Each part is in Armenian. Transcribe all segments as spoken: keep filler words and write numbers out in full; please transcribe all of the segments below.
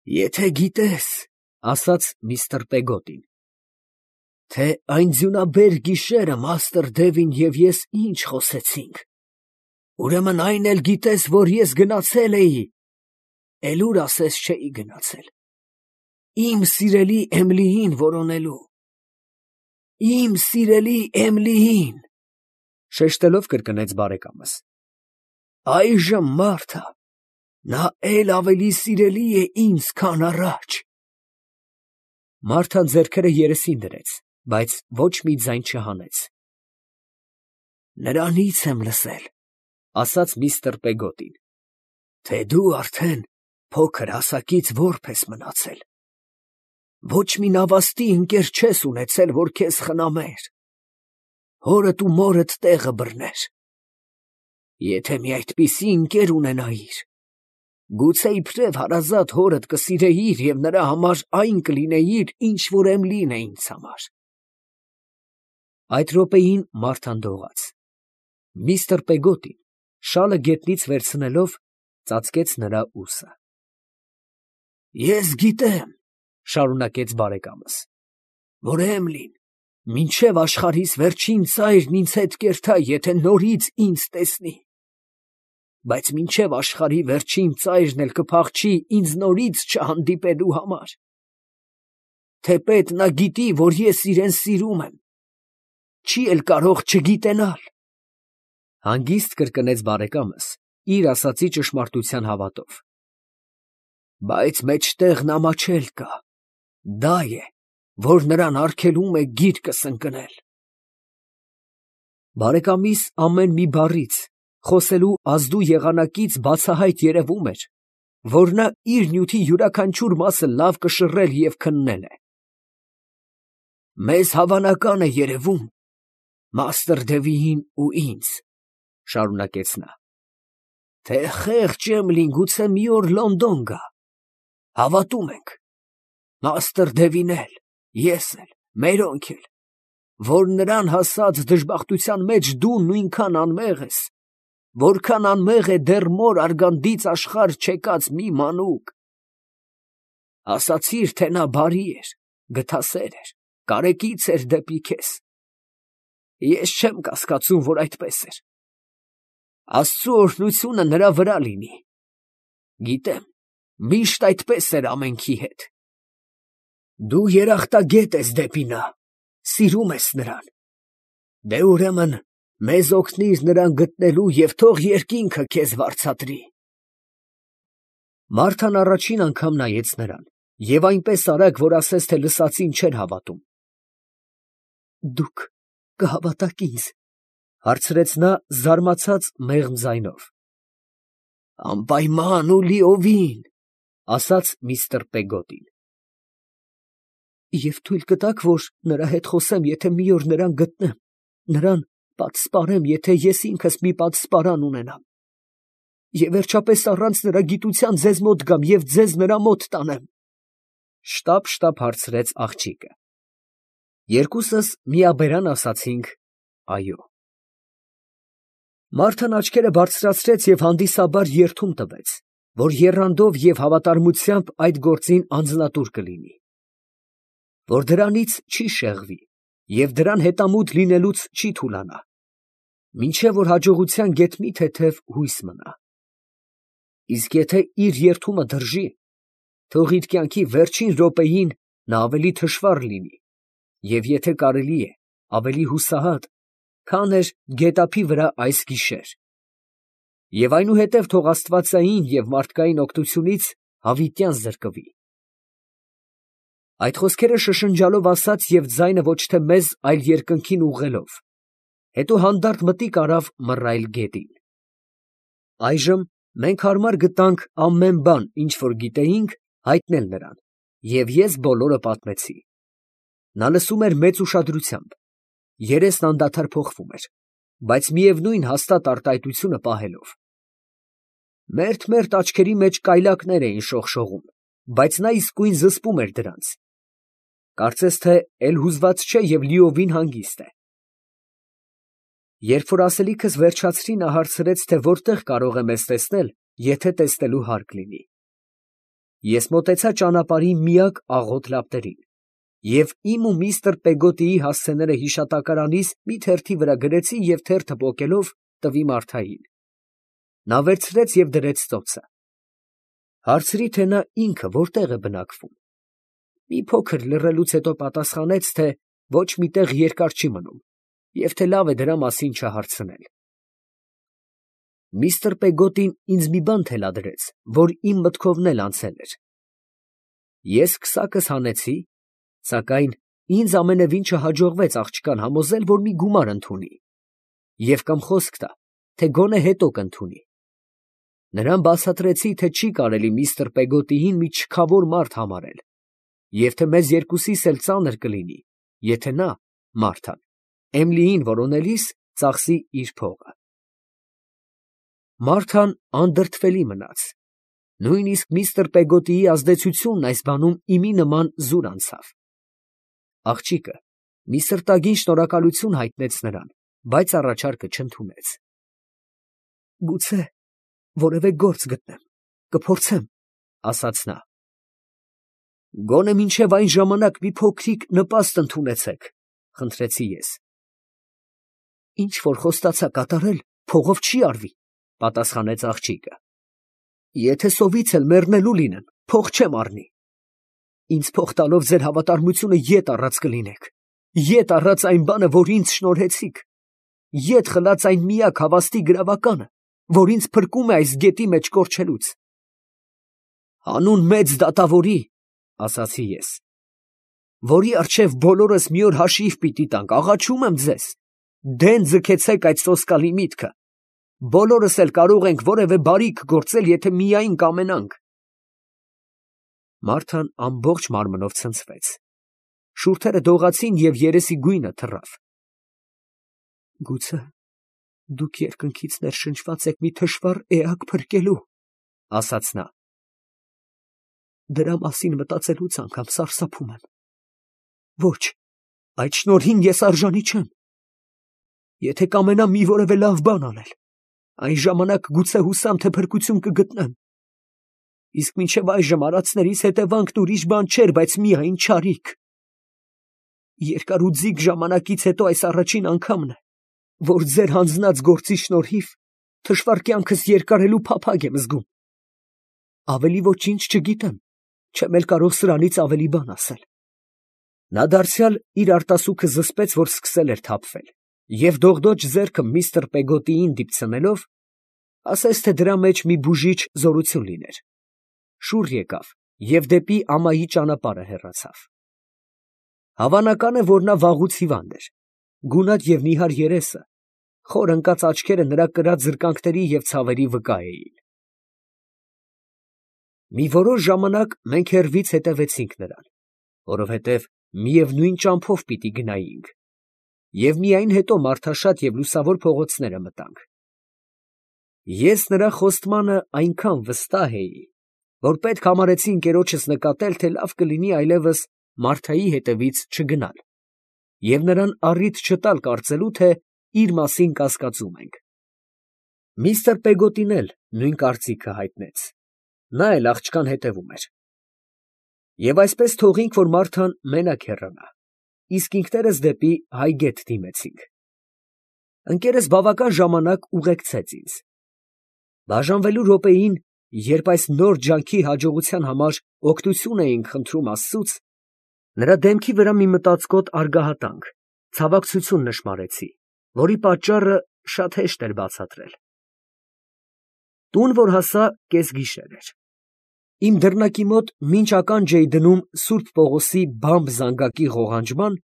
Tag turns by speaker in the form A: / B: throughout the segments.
A: Եթե գիտես, ասաց միստր Պեգոտին, թե այն ձյունաբեր գիշերը մաստր Դևին և ես ինչ խոսեցինք, ուրեմն այն էլ գիտես, որ ես գնացել էի, էլ ուր ասես չէի գնացել, իմ սիրելի Էմիլիին որոնելու, իմ սիրելի Էմիլիին, շեշտելով կրկնեց բարեկամս, այժմ Մարթա, նա էլ ավելի սիրելի է ինձ, քան առաջ։ Մարթան ձեռքերը երեսին դրեց, բայց ոչ մի ձայն չհանեց։ Նրանից եմ լսել, ասաց միստր Պեգոտին, թե դու արդեն փոքր հասակից որբ ես մնացել, ոչ մի նավաստի ընկեր չես ունեցել, որ քեզ խնամեր, հորդ ու մորդ տեղը բռներ, եթե մի այդպիսի ընկեր ունենայիր, գուցե իբրև հարազատ հորդ կսիրեիր և նրա համար այն կլինեիր, ինչ որ Էմիլին է ինձ համար։ Այդ րոպեին Մարթան դողաց։ Միստր Պեգոտին, շալը գետնից վերցնելով, ծածկեց նրա ուսը։ Ես գիտեմ, շարունակեց բարեկամս, որ Էմիլին մինչև աշխարհիս վերջին ծայրն ինձ հետ կերթա, եթե նորից ինձ տեսնի, բայց մինչև աշխարհի վերջին ծայրն էլ կփախչի ինձ նորից չհանդիպելու համար, թեպետ նա գիտի, որ ես իրեն սիրում եմ, չի էլ կարող չգիտենալ։ Հանգիստ կրկնեց բարեկամս, իր ասացի ճշմարտության հավատով։ Բայց մեջտեղ նամաչել կա, դա է, որ նրան արգելում է գիրկս ընկնել։ Բարեկամիս ամեն մի բառից, խոսելու ազդու եղանակից բացահայտ երևում էր, որ նա իր նյութի յուրաքանչյուր մասը լավ կշռել և քննել է։ Մեզ հավանական է երևում, մաստր Դևիին ու ինձ, շարունակեց նա, թե խեղճ Էմիլին գուցե մի օր Լոնդոն գա, հավատում ենք, մաստր Դևին էլ, ես էլ, մերոնք էլ, որ նրան հասած դժբախտության մեջ դու նույնքան անմեղ ես, որքան անմեղ է դեռ մոր արգանդից աշխարհ չեկած մի մանուկ։ Ասացիր, թե նա բարի էր, գթասեր էր, կարեկից էր դեպի քեզ։ Ես չեմ կասկածում, որ այդպես էր։ Աստծու օրհնությունը նրա վրա լինի։ Գիտեմ, միշտ այդպես էր ամենքի հետ։ Դու երախտագետ ես դեպի նա, սիրում ես նրան։ Դե ուրեմն մեզ օգնիր նրան գտնելու և թող երկինքը քեզ վարձատրի։ Մարթան առաջին անգամ նայեց նրան և այնպես արագ, որ ասես թե լսածին չէր հավատում։ Դուք կհավատաք ինձ, հարցրեց նա զարմացած մեղմ ձայնով։ Անպայման ու լիովին, ասաց միստր Պեգոտին։ Եվ թույլ կտաք, որ նրա հետ խոսեմ, եթե մի օր նրան գտնեմ, նրան պատսպարեմ, եթե ես ինքս մի պատսպարան ունենամ, և վերջապես առանց նրա գիտության ձեզ մոտ գամ և ձեզ նրա մոտ տանեմ, շտապ-շտապ հարցրեց աղջիկը։ Երկուսս միաբերան ասացինք այո։ Մարթան աչքերը բարձրացրեց և հանդիսաբար երդում տվեց, որ եռանդով և հավատարմությամբ այդ գործին անձնատուր կլինի, որ դրանից չի շեղվի և դրան հետամուտ լինելուց չի թուլանա, մինչև որ հաջողության գետ մի թեթև հույս մնա։ Իսկ եթե իր երդումը դրժի, թող իր կյանքի վերջին րոպեին նա ավելի թշվառ լինի, և եթե կարելի է, ավելի հուսահատ, քան էր գետափի վրա այս գիշեր, և այնուհետև թող աստվածային և մարդկային օգնությունից հավիտյան զրկվի։ Այդ խոսքերը շշնջալով ասաց և ձայնը ոչ թե մեզ, այլ երկնքին ուղղելով, հետո հանդարտ մտիկ արավ մռայլ գետին։ Այժմ մենք հարմար գտանք ամեն բան, ինչ որ գիտեինք, հայտնել նրան, և ես բոլորը պատմեցի։ Նա լսում էր մեծ ուշադրությամբ, երեսն անդադար փոխվում էր, բայց միևնույն հաստատ արտահայտությունը պահելով։ Մերթ֊մերթ աչքերի մեջ կայլակներ էին շողշողում, բայց նա իսկույն զսպում էր դրանց։ Կարծես թե էլ հուզված չէ և լիովին հանգիստ է։ Երբ որ ասելիքս վերջացրի, նա հարցրեց, թե որտեղ կարող է մեզ տեսնել, եթե տեսնելու հարկ լինի։ Ես մոտեցա ճանապարհի միակ աղոտ լապտերին և իմ ու միստր Պեգոտիի հասցեները հիշատակարանիս մի թերթի վրա գրեցի և թերթը պոկելով տվի Մարթային. նա վերցրեց և դրեց ծոցը։ Հարցրի, թե նա ինքը որտեղ է բնակվում։ Մի փոքր լռելուց հետո պատասխանեց, թե ոչ մի տեղ երկար չի մնում և թե լավ է դրա մասին չհարցնել։ Միստր Պեգոտին ինձ մի բան թելադրեց, որ իմ մտքովն էլ անցել էր։ Ես քսակս հանեցի, սակայն ինձ ամենևին չհաջողվեց աղջկան համոզել, որ մի գումար ընդունի և կամ խոսք տա, թե գոնե հետո կընդունի։ Նրան բացատրեցի, թե չի կարելի միստր Պեգոտիին մի չքավոր մարդ համարել և թե մեզ երկուսիս էլ ծանր կլինի, եթե նա, Մարթան, Էմիլիին որոնելիս ծախսի իր փողը։ Մարթան անդրդվելի մնաց, նույնիսկ միստր Պեգոտիի ազդեցությունն այս բանում իմի նման զուր անցավ։ Աղջիկը մի սրտագին շնորհակալություն հայտնեց նրան, բայց առաջարկը չընդունեց։ «Գուցե որևէ գործ գտնեմ, կփորձեմ», ֊ ասաց նա։ «Գոնե մինչև այն ժամանակ մի փոքրիկ նպաստ ընդունեցեք», ֊ խնդրեցի ես։ «Ինչ որ խոստացա կատարել, փողով չի արվի», ֊ պատասխանեց աղջիկը։ «Եթե սովից էլ մեռնելու լինեմ, փող չեմ առնի։ Ինձ փող տալով ձեր հավատարմությունը ետ առած կլինեք, ետ առած այն բանը, որ ինձ շնորհեցիք, ետ խլած այն միակ հավաստի գրավականը, որ ինձ փրկում է այս գետի մեջ կորչելուց»։ «Հանուն մեծ դատավորի, ֊ ասացի ես, ֊ որի առջև բոլորս մի օր հաշիվ պիտի տանք, աղաչում եմ ձեզ, դեն ձգեցեք այդ սոսկալի միտքը, բոլորս էլ կարող ենք որևէ բարիք գործել, եթե միայն կամենանք»։ Մարթան ամբողջ մարմնով ցնցվեց, շուրթերը դողացին և երեսի գույնը թռավ։ «Գուցե դուք երկնքից ներշնչված եք մի թշվառ էակ փրկելու, ֊ ասաց նա, ֊ դրա մասին մտածելուց անգամ սարսափում եմ։ Ոչ, այդ շնորհին ես արժանի չեմ։ Եթե կամենամ մի որևէ լավ բան անել, այն ժամանակ գուցե հուսամ, թե փրկություն կգտնեմ։ Իսկ մինչև այժմ արածներիս հետևանքն ուրիշ բան չէր, բայց միայն չարիք։ Երկար ու ձիգ ժամանակից հետո այս առաջին անգամն է, որ ձեր հանձնած գործի շնորհիվ թշվառ կյանքս երկարելու փափագ եմ զգում։ Ավելի ոչինչ չգիտեմ, չեմ էլ կարող սրանից ավելի բան ասել։ Նա դարձյալ իր արտասուքը զսպեց, որ սկսել էր թափվել, և դողդոջ ձեռքը միստր Պեգոտիին դիպցնելով, ասես թե դրա մեջ մի բուժիչ զորություն լիներ, շուռ եկավ և դեպի ամայի ճանապարհը հեռացավ։ Հավանական է, որ նա վաղուց հիվանդ էր, գունատ և նիհար երեսը, խոր ընկած աչքերը նրա կրած զրկանքների և ցավերի վկա էին։ Մի որոշ ժամանակ մենք հեռվից հետևեցինք նրան, որովհետև միևնույն ճամփով պիտի գնայինք, և միայն հետո մարդաշատ և լուսավոր փողոցները մտանք։ Ես նրա խոստմանը այնքան վստահ էի, որ պետք համարեցի ընկերոջս նկատել, թե լավ կլինի այլևս Մարթայի հետևից չգնալ և նրան առիթ չտալ կարծելու, թե իր մասին կասկածում ենք։ Միստր Պեգոտին էլ նույն կարծիքը հայտնեց, նա էլ աղջկան հետևում էր։ Եվ այսպես թողինք, որ Մարթան մենակ հեռանա, իսկ ինքներս դեպի Հայգետ դիմեցինք։ Ընկերս բավական ժամանակ ուղեկցեց ինձ։ Բաժանվելու րոպեին, երբ այս նոր ջանքի հաջողության համար օգնություն էինք խնդրում աստծուց, նրա դեմքի վրա մի մտածկոտ արգահատանք, ցավակցություն նշմարեցի, որի պատճառը շատ հեշտ էր բացատրել։ Տուն որ հասա, կեսգիշեր էր։ Իմ դռնակի մոտ մինչ ականջ էի դնում Սուրբ Պողոսի բամբ զանգակի ղողանջման,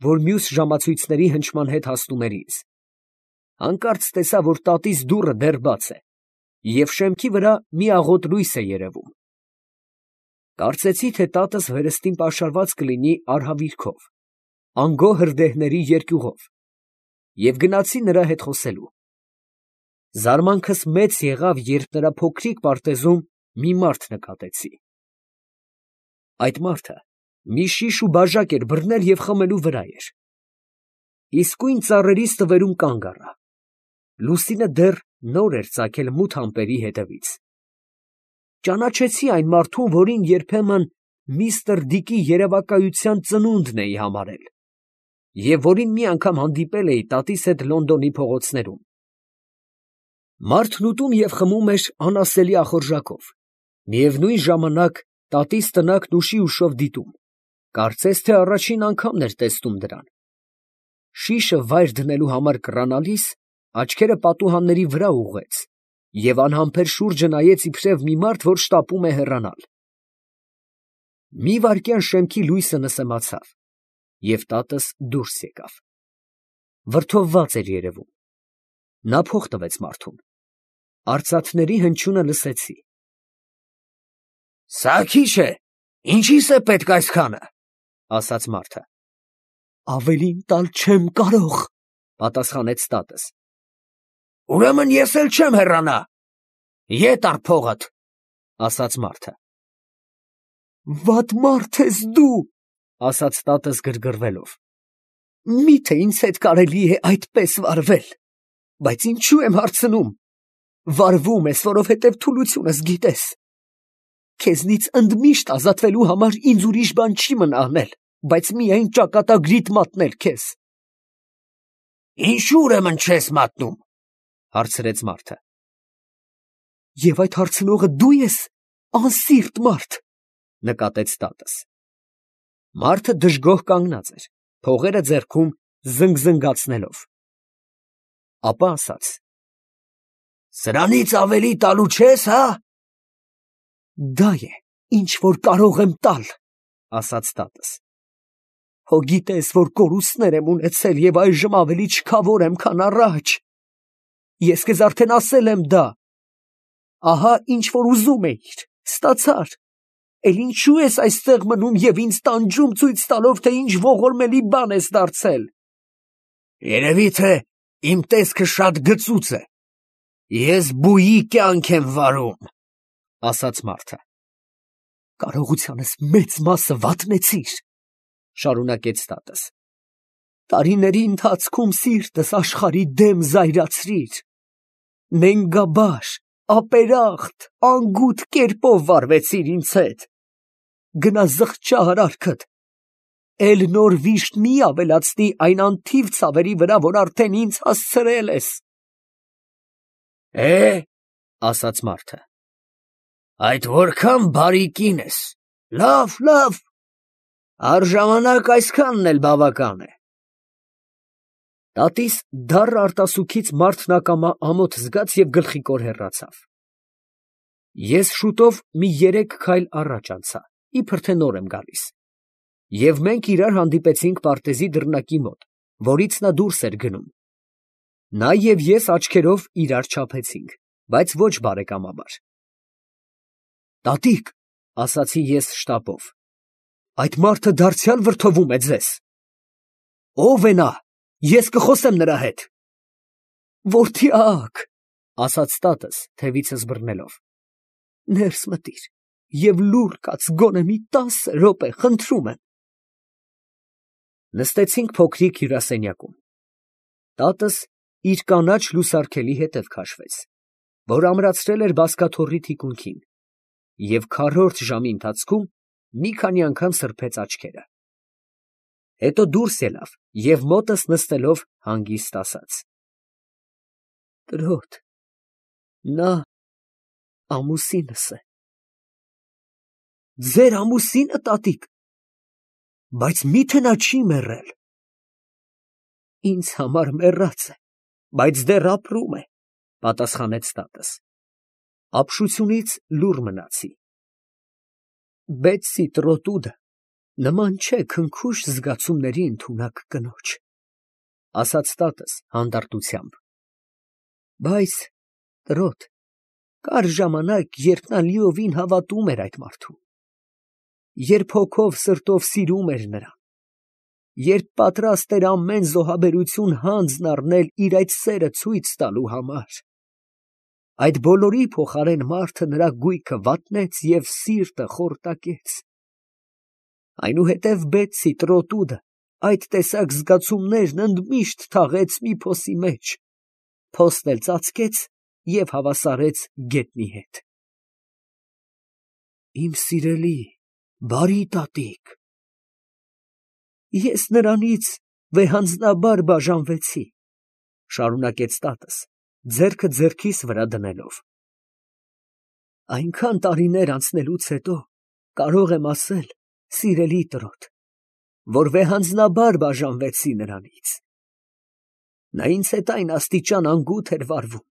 A: որ մյուս ժամացույցների հնչման հետ հասնում էր ինձ։ Հանկարծ տեսա, որ տատիս դուռը դեռ բաց է, և շեմքի վրա մի աղոտ լույս է երևում։ Կարծեցի, թե տատս վերստին պաշարված կլինի արհավիրքով, անգո հրդեհների երկյուղով, և գնացի նրա հետ խոսելու։ Զարմանքս մեծ եղավ, երբ նրա փոքրիկ պարտեզում մի մարդ նկատեցի։ Այդ մարդը մի շիշ ու բաժակ էր բռնել և խմելու վրա էր։ Իսկույն ծառերի ստվերում կանգ առա։ Լուսինը դեռ նոր էր ծագել մութ ամպերի ետևից։ ճանաչեցի այն մարդուն, որին երբեմն միստր Դիկի երևակայության ծնունդն էի համարել, և որին մի անգամ հանդիպել էի տատիս հետ Լոնդոնի փողոցներում։ Մարդն ուտում և խմում էր անասելի ախորժակով, միևնույն ժամանակ տատիս տնակն ուշի ուշով դիտում, կարծես թե առաջին անգամն էր տեսնում դրան։ Շիշը վայր դնելու համար կռանալիս, աչքերը պատուհանների վրա ուղղեց և անհամբեր շուրջը նայեց իբրև մի մարդ, որ շտապում է հեռանալ։ Մի վայրկյան շեմքի լույսը նսեմացավ, և տատս դուրս եկավ։ Վրդովված էր երևում։ Նա փող տվեց մարդուն։ Արծաթների հնչյունը լսեցի։ ֊ Սա քիչ է, ինչի՞ս է պետք այսքանը, ֊ ասաց մարդը։ ֊ Ավելին տալ չեմ կարող, ֊ պատասխանեց տատս։ ֊ Ուրեմն ես էլ չեմ հեռանա, ետ առ փողդ, ֊ ասաց մարդը։ ֊ Վատ մարդ ես դու, ֊ ասաց տատս գրգռվելով։ ֊ Մի՞թե ինձ հետ կարելի է այդպես վարվել, բայց ինչո՞ւ եմ հարցնում. վարվում ես, որովհետև թուլությունս գիտես. քեզնից ընդմիշտ ազատվելու համար ինձ ուրիշ բան չի մնա անել, բայց միայն ճակատագրիդ մատնել քեզ։ ֊ Ինչո՞ւ ուրեմն չես մատնում, ֊ հարցրեց մարդը։ ֊ Եվ այդ հարցնողը դու ես, անսիրտ մարդ, ֊ նկատեց տատս։ Մարդը դժգոհ կանգնած էր, փողերը ձեռքում զնգզնգացնելով։ Ապա ասաց. «Սրանից ավելի տալու չես, հա՞։ ֊ Դա է, ինչ որ կարող եմ տալ, ֊ ասաց տատս։ Հո գիտես, որ կորուստներ եմ ունեցել և այժմ ավելի չքավոր եմ, քան առաջ. ես քեզ արդեն ասել եմ դա. ահա ինչ որ ուզում էիր, ստացար, էլ ինչո՞ւ ես այստեղ մնում և ինձ տանջում, ցույց տալով, թե ինչ ողորմելի բան ես դարձել։ ֊ Երևի թե իմ տեսքը շատ գծուծ է, ես բուի կյանք եմ վարում, ֊ ասաց մարդը։ ֊ Կարողությանս մեծ մասը վատնեցիր, ֊ շարունակեց տատս։ տարիների ընթացքում սիրտս աշխարհի դեմ զայրացրիր, նենգաբար, ապերախտ, անգութ կերպով վարվեցիր ինձ հետ, գնա զղջա արարքդ, էլ նոր վիշտ մի ավելացնի այն անթիվ ցավերի վրա, որ արդեն ինձ հասցրել ես։ ֊ Է, ֊ ասաց մարդը, այդ որքան բարի կին ես, լավ, լավ, առժամանակ այսքանն էլ բավական է։ Տատիս դառն արտասուքից մարդն ակամա ամոթ զգաց և գլխիկոր հեռացավ։ Ես շուտով մի երեք քայլ առաջ անցա, իբր թե նոր եմ գալիս, և մենք իրար հանդիպեցինք պարտեզի դռնակի մոտ, որից նա դուրս էր գնում։ Նա և ես աչքերով իրար չափեցինք, բայց ոչ բարեկամաբար։ Տատիկ, ֊ ասացի ես շտապով, ֊ այդ մարդը դարձյալ վրդովում է ձեզ։ ֊ Ո՞վ է նա, ես կխոսեմ նրա հետ։ ֊ Որդյա՛կ, ֊ ասաց տատս թևիցս բռնելով, ֊ ներս մտիր և լուռ կաց գոնե մի տասը րոպե, խնդրում եմ։ Նստեցինք փոքրիկ հյուրասենյակում։ Տատս իր կանաչ լուսարգելի հետև քաշվեց, որ ամրացրել էր բազկաթոռի թիկունքին, և քառորդ ժամի ընթացքում մի քանի անգամ սրբեց աչքերը։ Հետո դուրս ելավ և մոտս նստելով հանգիստ ասաց. Տրոտ, նա ամուսինս է։ ֊ Ձեր ամուսի՞նը, տատիկ, բայց մի՞թե նա չի մեռել։ ֊ Ինձ համար մեռած է, բայց դեռ ապրում է, ֊ պատասխանեց տատս։ Ապշությունից լուռ մնացի։ Բեթսի Տրոտուդը նման չէ քնքուշ զգացումների ընդունակ կնոջ, ֊ ասաց տատս հանդարտությամբ։ Բայց, տրոտ, կար ժամանակ, երբ նա լիովին հավատում էր այդ մարդուն, երբ հոգով սրտով սիրում էր նրան, երբ պատրաստ էր ամեն զոհաբերություն հանձն առնել իր այդ սերը ցույց տալու համար, այդ բոլորի փոխարեն մարդը նրա գույքը վատնեց և սիրտը խորտակեց։ Այնուհետև Բեթսի Տրոտուդը այդ տեսակ զգացումներն ընդմիշտ թաղեց մի փոսի մեջ, փոսն էլ ծածկեց և հավասարեց գետնի հետ։ Իմ սիրելի, բարի տատիկ։ Ես նրանից վեհանձնաբար բաժանվեցի, շարունակեց տատս, ձեռքը ձեռքիս վրա դնելով. այնքան տարիներ անցնելուց հետո կարող եմ ասել, սիրելի տրոտ, որ վեհանձնաբար բաժանվեցի նրանից։ Նա ինձ հետ այն աստիճան անգութ էր վարվում,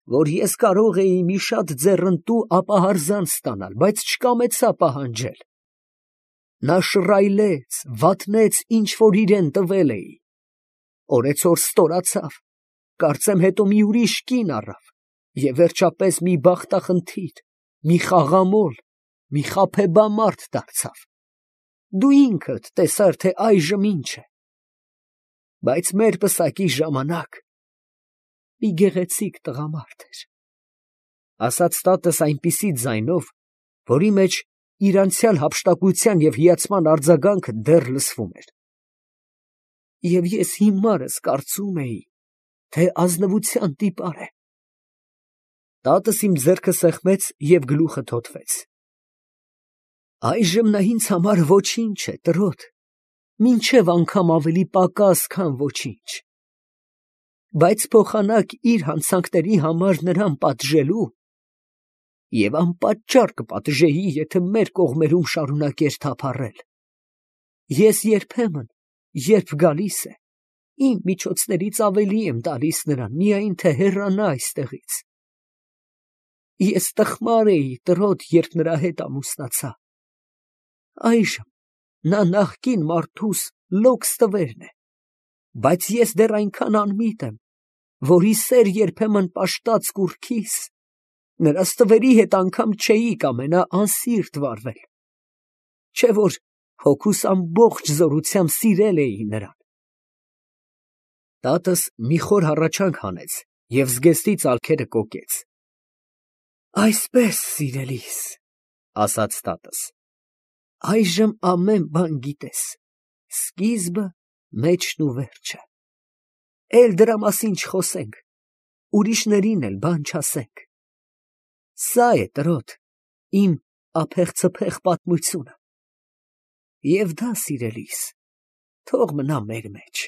A: որ ես կարող էի մի շատ ձեռնտու ապահարզան ստանալ, բայց չկամեցա պահանջել։ Նա շռայլեց, վատնեց, ինչ որ իրան տվել էի, օրեցօր ստորացավ, կարծեմ հետո մի ուրիշ կին առավ, և վերջապես մի բախտախնդիր, մի խաղամոլ, մի խաբեբամարդ դարձավ։ Դու ինքդ տեսար, թե այժմ ինչ է։ Բայց մեր պսակի ժամանակ մի գեղեցիկ տղամարդ էր, ասաց տատս այնպիսի ձայնով, որի մեջ իր անցյալ հափշտակության և հիացման արձագանքը դեռ լսվում էր։ Եվ ես հիմարս կարծում էի, թե ազնվության տիպար է։ Տատս իմ ձեռքը սեղմեց և գլուխը թոթվեց։ Այժմ նա ինձ համար ոչինչ է, տրոտ, մինչև անգամ ավելի պակաս, քան ոչինչ։ Բայց փոխանակ իր հանցանքների համար նրան պատժելու, և անպատճառ կպատժեի, եթե մեր կողմերում շարունակեր թափառել, ես երբեմն, երբ գալիս է, իմ միջոցներից ավելի եմ տալիս նրան, միայն թե հեռանա այստեղից։ Ես տխմար էի, տրոտ, երբ նրա հետ ամուսնացա։ Այժմ նա նախկին մարդուս լոքս տվերն է, բայց ես դեռ այնքան անմիտ եմ, որի սեր երբեմն պաշտած կուռքիս, նրա ստվերի հետ անգամ չէի կամենա անսիրտ վարվել, չէ որ հոգուս ամբողջ զորությամբ սիրել էի նրան։ Տատս մի խոր հառաչանք հանեց և զգեստի ծալքերը կոկեց։ Այսպես, սիրելիս, ասաց տատս, այժմ ամեն բան գիտես, սկիզբը, մեջն ու վերջը։ Էլ դրա մասին չխոսենք, ուրիշներին էլ բան չասենք։ Սա է, տրոտ, իմ ափեղ֊ցփեղ պատմությունը։ Եվ դա, սիրելիս, թող մնա մեր մեջ։